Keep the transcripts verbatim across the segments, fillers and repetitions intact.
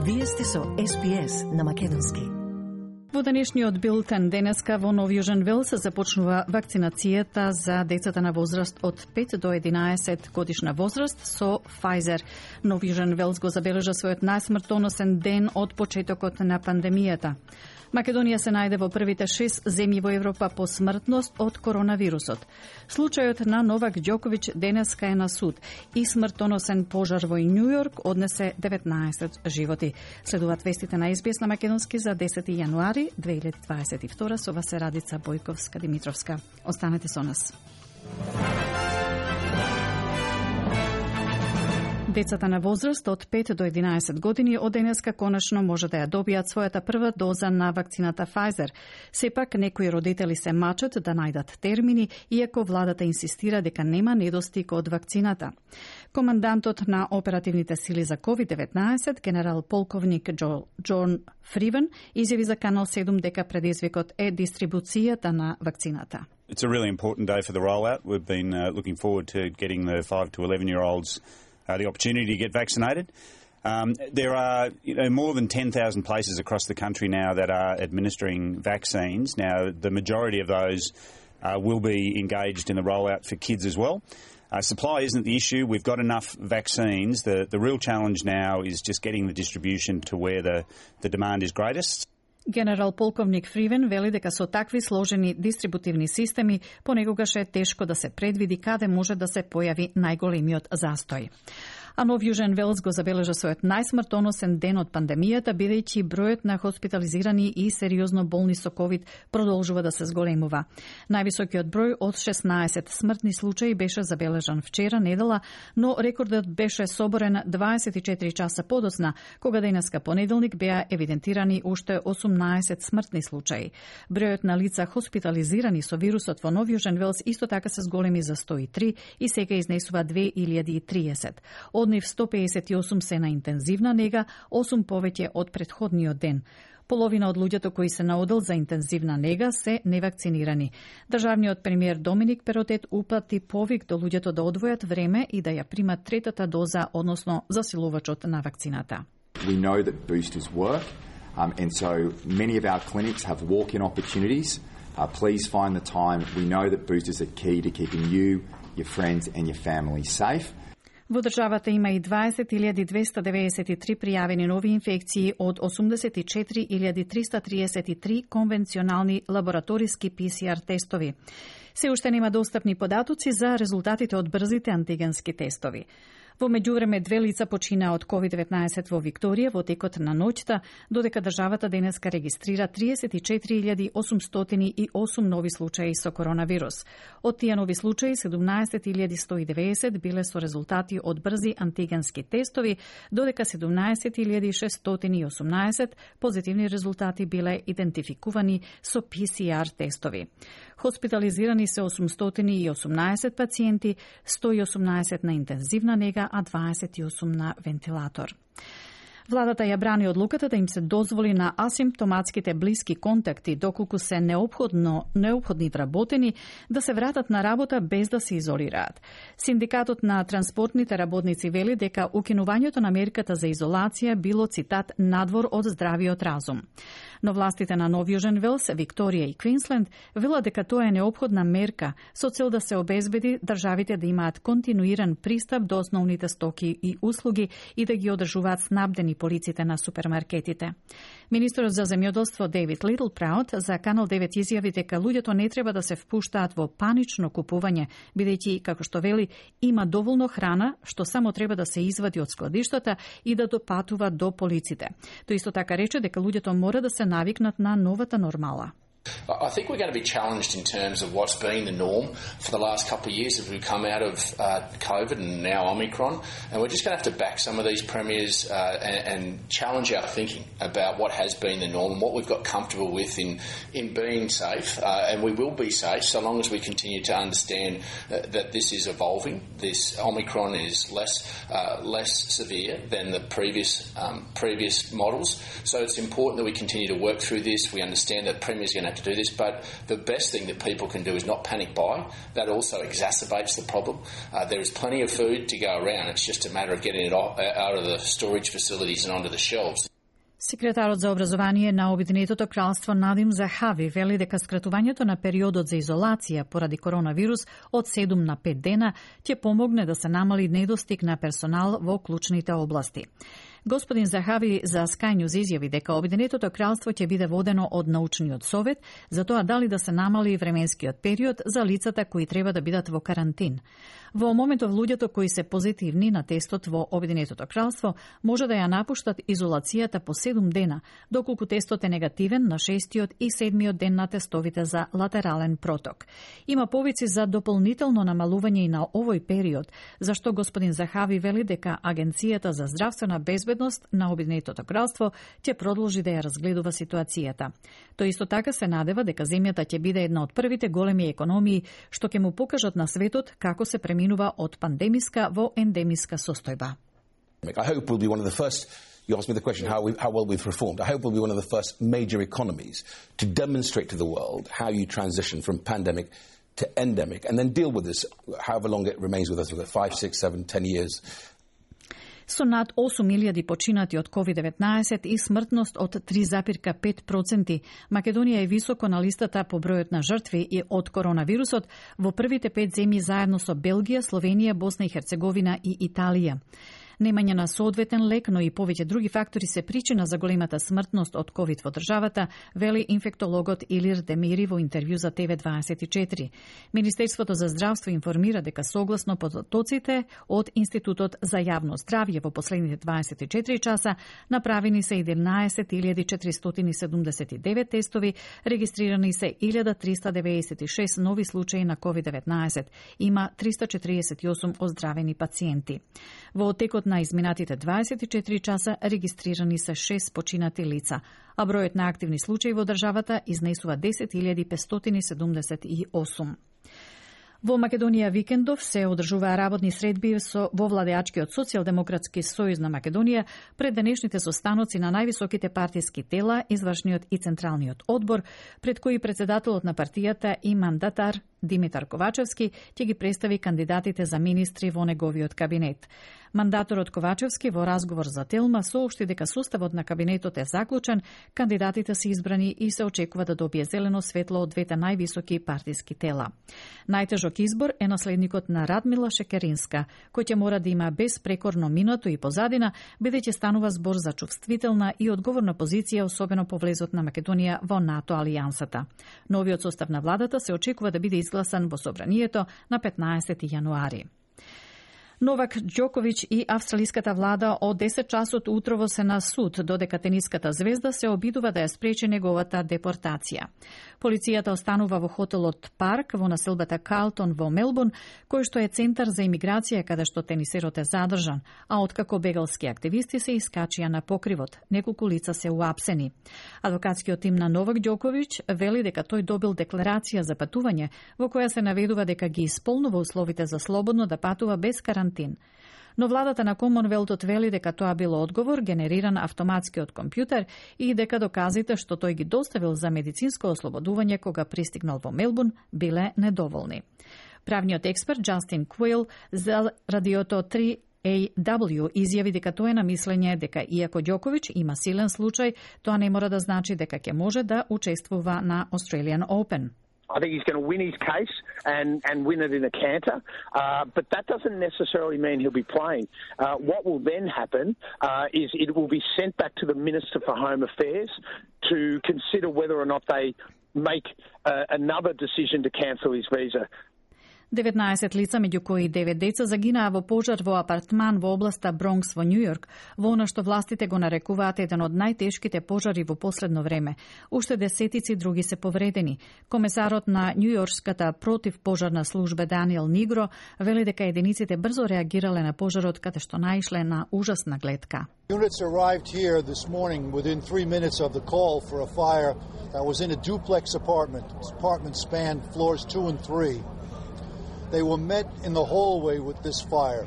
Вие сте со Ес Би Ес на македонски. Во денешниот билтен денеска во Нов Јужен Велс започнува вакцинацијата за децата на возраст од пет до единаесет годишна возраст со Pfizer. Нов Јужен Велс го забележа својот најсмртоносен ден од почетокот на пандемијата. Македонија се најде во првите шест земји во Европа по смртност од коронавирусот. Случајот на Новак Ѓоковиќ денеска е на суд и смртоносен пожар во Њу Јорк однесе деветнаесет животи. Следуваат вестите на Ес Би Ес на македонски за десети јануари две илјади дваесет и втора со вас е Радица Бојковска-Димитровска. Останете со нас. Децата на возраст од пет до единаесет години од денеска конечно може да ја добијат својата прва доза на вакцината Pfizer. Сепак некои родители се мачат да најдат термини, иако владата инсистира дека нема недостиг од вакцината. Командантот на оперативните сили за ковид деветнаесет, генерал полковник Джо, Џон Фривен, изјави за Канал седум дека предизвикот е дистрибуцијата на вакцината. It's a really important day for the rollout. We've been uh, looking forward to getting the five to eleven year olds Uh, the opportunity to get vaccinated. Um, there are you know, more than ten thousand places across the country now that are administering vaccines. Now, the majority of those uh, will be engaged in the rollout for kids as well. Uh, supply isn't the issue. We've got enough vaccines. The, the real challenge now is just getting the distribution to where the, the demand is greatest. Генерал полковник Фривен вели дека со такви сложени дистрибутивни системи понекогаш е тешко да се предвиди каде може да се појави најголемиот застој. А Нов Јужен Велс го забележа својот најсмртоносен ден од пандемијата, бидејќи бројот на хоспитализирани и сериозно болни со ковид продолжува да се зголемува. Највисокиот број од шеснаесет смртни случаи беше забележан вчера недела, но рекордот беше соборен дваесет и четири часа подоцна, кога денеска понеделник беа евидентирани уште осумнаесет смртни случаи. Бројот на лица хоспитализирани со вирусот во Нов Јужен Велс исто така се зголеми за сто и три и сега изнесува две илјади и триесет. Од нив сто пеесет и осум се на интензивна нега, осум повеќе од претходниот ден. Половина од луѓето кои се на одел за интензивна нега се невакцинирани. Државниот премиер Доминик Перотет упати повик до луѓето да одвојат време и да ја примат третата доза, односно засилувачот на вакцината. We know that boosters work, um, and so many of our clinics have walk-in opportunities. Uh, please find the time. We know that boosters are key to keeping you, your friends and your family safe. Во државата има и дваесет илјади двесте деведесет и три пријавени нови инфекции од осумдесет и четири илјади триста триесет и три конвенционални лабораториски Пи Си Ар тестови. Се уште нема достапни податоци за резултатите од брзите антигенски тестови. Во меѓувреме две лица почина од ковид деветнаесет во Викторија во текот на ноќта, додека државата денеска регистрира триесет и четири илјади осумстотини и осум нови случаи со коронавирус. Од тие нови случаи седумнаесет илјади сто и деветдесет биле со резултати од брзи антигенски тестови, додека седумнаесет илјади шестстотини и осумнаесет позитивни резултати биле идентификувани со Пи Си Ар тестови. Хоспитализирани се осумстотини и осумнаесет пациенти, сто и осумнаесет на интензивна нега, а дваесет и осум на вентилатор. Владата ја брани одлуката да им се дозволи на асимптоматските блиски контакти, доколку се неопходно, неопходни вработени, да се вратат на работа без да се изолираат. Синдикатот на транспортните работници вели дека укинувањето на мерката за изолација било, цитат, надвор од здравиот разум. Но властите на Нов Јужен Велс, Викторија и Квинсленд велат дека тоа е неопходна мерка со цел да се обезбеди државите да имаат континуиран пристап до основните стоки и услуги и да ги одржуваат снабдени полиците на супермаркетите. Министерот за земјоделство Дейвид Литл Праут за Канал девет изјави дека луѓето не треба да се впуштаат во панично купување, бидејќи, како што вели, има доволно храна што само треба да се извади од складиштата и да допатува до полиците. Тој исто така рече дека луѓето мора да се навикнат на новата нормала. I think we're going to be challenged in terms of what's been the norm for the last couple of years as we come out of uh, COVID and now Omicron. And we're just going to have to back some of these premiers uh, and, and challenge our thinking about what has been the norm and what we've got comfortable with in, in being safe. Uh, and we will be safe so long as we continue to understand uh, that this is evolving. This Omicron is less uh, less severe than the previous um, previous models. So it's important that we continue to work through this. We understand that premiers are going to have to do this, but the best thing that people can do is not panic buy. That also exacerbates the problem. Uh, there is plenty of food to go around. It's just a matter of getting it out of the storage facilities and onto the shelves. Секретарот за образование на Обединетото кралство Надим Захави вели дека скратувањето на периодот за изолација поради коронавирус од седум на пет дена ќе помогне да се намали недостиг на персонал во клучните области. Господин Захави за Sky News изјави дека Обединетото кралство ќе биде водено од научниот совет за тоа дали да се намали временскиот период за лицата кои треба да бидат во карантин. Во моментов луѓето кои се позитивни на тестот во Обединетото кралство може да ја напуштат изолацијата по седум дена, доколку тестот е негативен на шестиот и седмиот ден на тестовите за латерален проток. Има повици за дополнително намалување и на овој период, зашто господин Захави вели дека Агенцијата за здравствена безбедност на Обединетото кралство ќе продолжи да ја разгледува ситуацијата. Тој исто така се надева дека земјата ќе биде една од првите големи економии што ќе му покажат на светот како се преминува од пандемиска во ендемиска состојба. I hope we'll be one of the first, you asked me the question how, we, how well we've reformed, I hope we'll be one of the first major economies to demonstrate to the world how you transition from pandemic to endemic and then deal with this, however long it remains with us, with five, six, seven, ten years. Со над осум илјади починати од ковид деветнаесет и смртност од три запирка пет проценти, Македонија е високо на листата по бројот на жртви и од коронавирусот во првите пет земји заедно со Белгија, Словенија, Босна и Херцеговина и Италија. Немање на соодветен лек, но и повеќе други фактори се причина за големата смртност од ковид во државата, вели инфектологот Илир Демири во интервју за Т В дваесет и четири. Министерството за здравство информира дека согласно потоците од Институтот за јавно здравје во последните дваесет и четири часа направени се единаесет илјади четиристотини седумдесет и девет тестови, регистрирани се илјада триста деветдесет и шест нови случаи на ковид деветнаесет. Има триста четиридесет и осум оздравени пациенти. Во текот на изминатите дваесет и четири часа регистрирани се шест починати лица, а бројот на активни случаи во државата изнесува десет илјади петстотини седумдесет и осум. Во Македонија викендов се одржуваа работни средби со во владеачкиот Социјалдемократски сојуз на Македонија пред денешните состаноци на највисоките партиски тела, извршниот и централниот одбор, пред кои председателот на партијата и мандатар Димитар Ковачевски ќе ги представи кандидатите за министри во неговиот кабинет. Мандаторот Ковачевски во разговор за Телма соопшти дека составот на кабинетот е заклучен, кандидатите се избрани и се очекува да добие зелено светло од двете највисоки партиски тела. Најтежок избор е наследникот на Радмила Шекеринска, кој ќе мора да има безпрекорно минато и позадина, бидејќи станува збор за чувствителна и одговорна позиција, особено по влезот на Македонија во НАТО алијансата. Новиот состав на владата се очекува да биде изгласан во собранието на петнаесети јануари. Новак Ѓоковиќ и австралиската влада од десет часот утрово се на суд, додека тениската звезда се обидува да ја спречи неговата депортација. Полицијата останува во хотелот Парк во населбата Карлтон во Мелбурн, кој што е центар за имиграција каде што тенисерот е задржан, а откако бегалски активисти се искачија на покривот. Неколку лица се уапсени. Адвокатскиот тим на Новак Ѓоковиќ вели дека тој добил декларација за патување во која се наведува дека ги исполнува условите за слободно да патува без карантин. Но владата на Комонвелтот вели дека тоа било одговор генериран автоматски од компјутер и дека доказите што тој ги доставил за медицинско ослободување кога пристигнал во Мелбурн биле недоволни. Правниот експерт Джастин Куил за радиото три А W изјави дека тоа е на мислење дека иако Ѓоковиќ има силен случај, тоа не мора да значи дека ќе може да учествува на Australian Open. I think he's going to win his case and, and win it in a canter, uh, but that doesn't necessarily mean he'll be playing. Uh, what will then happen uh, is it will be sent back to the Minister for Home Affairs to consider whether or not they make uh, another decision to cancel his visa. деветнаесет лица, меѓу кои девет деца, загинаа во пожар во апартман во областа Бронкс во Њујорк, во она што властите го нарекуваат еден од најтешките пожари во последно време. Уште десетици други се повредени. Комесарот на Њујоркската противпожарна служба Даниел Нигро вели дека единиците брзо реагирале на пожарот каде што наишле на ужасна гледка. Units arrived here this morning within three minutes of the call for a fire that was in a duplex apartment. This apartment spanned floors two and three. They were met in the hallway with this fire.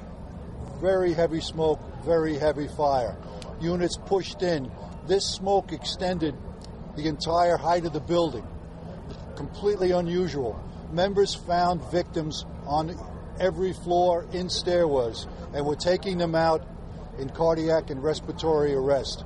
Very heavy smoke, very heavy fire. Units pushed in. This smoke extended the entire height of the building. Completely unusual. Members found victims on every floor in stairwells and were taking them out in cardiac and respiratory arrest.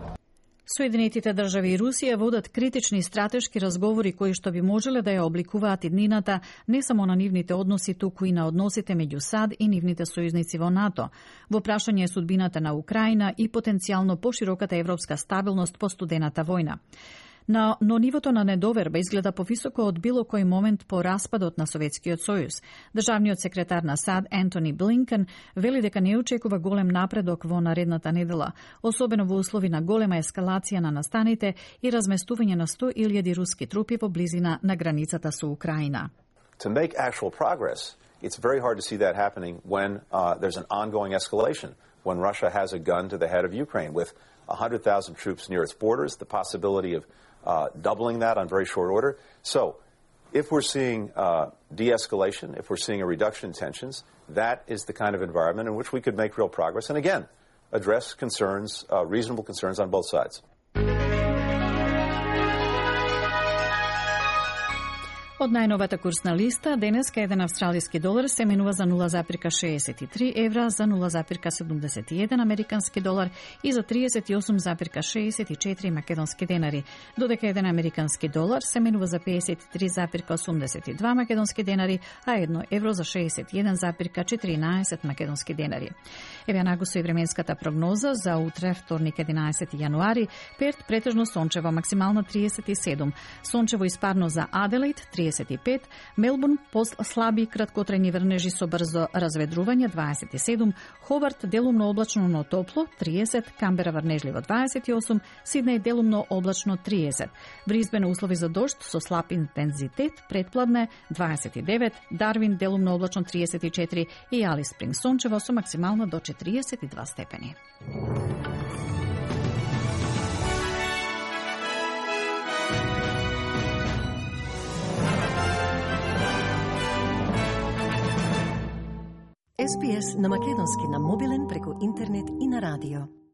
Соединетите држави и Русија водат критични стратешки разговори кои што би можеле да ја обликуваат иднината не само на нивните односи, туку и на односите меѓу САД и нивните сојузници во НАТО. Во прашање е судбината на Украина и потенцијално пошироката европска стабилност по студената војна. На, но нивото на недоверба изгледа повисоко од било кој момент по распадот на Советскиот сојуз. Државниот секретар на САД Ентони Блинкен вели дека не очекува голем напредок во наредната недела, особено во услови на голема ескалација на настаните и разместување на сто илјади руски трупи во близина на границата со Украина. To make actual progress, it's very hard to see that happening when uh, there's an ongoing escalation, when Russia has a gun to the head of Ukraine with one hundred thousand troops near its borders, the possibility of Uh, doubling that on very short order. So, if we're seeing uh, de-escalation, if we're seeing a reduction in tensions, that is the kind of environment in which we could make real progress and, again, address concerns, uh, reasonable concerns on both sides. Од најновата курсна листа, денеска еден австралиски долар се менува за нула запирка шеесет и три евра, за нула запирка седумдесет и еден американски долар и за триесет и осум запирка шеесет и четири македонски денари, додека еден американски долар се менува за пеесет и три запирка осумдесет и два македонски денари, а едно евро за шеесет и еден запирка четиринаесет македонски денари. Еве нагусо и временската прогноза за утре, вторник единаесети јануари, Перт претежно сончево, максимално триесет и седум, сончево и спарно за Аделаид триесет и пет, Мелбурн слаби краткотрајни врнежи со брзо разведрување дваесет и седум, Хобарт делумно облачно но топло триесет, Камбера врнежливо дваесет и осум, Сиднеј делумно облачно триесет, Брисбен услови за дожд со слаб интензитет, претпладне дваесет и девет, Дарвин делумно облачно триесет и четири и Алис Спринг сончево со максимално до четириесет и два степени. Ес Би Ес на македонски на мобилен преку интернет и на радио.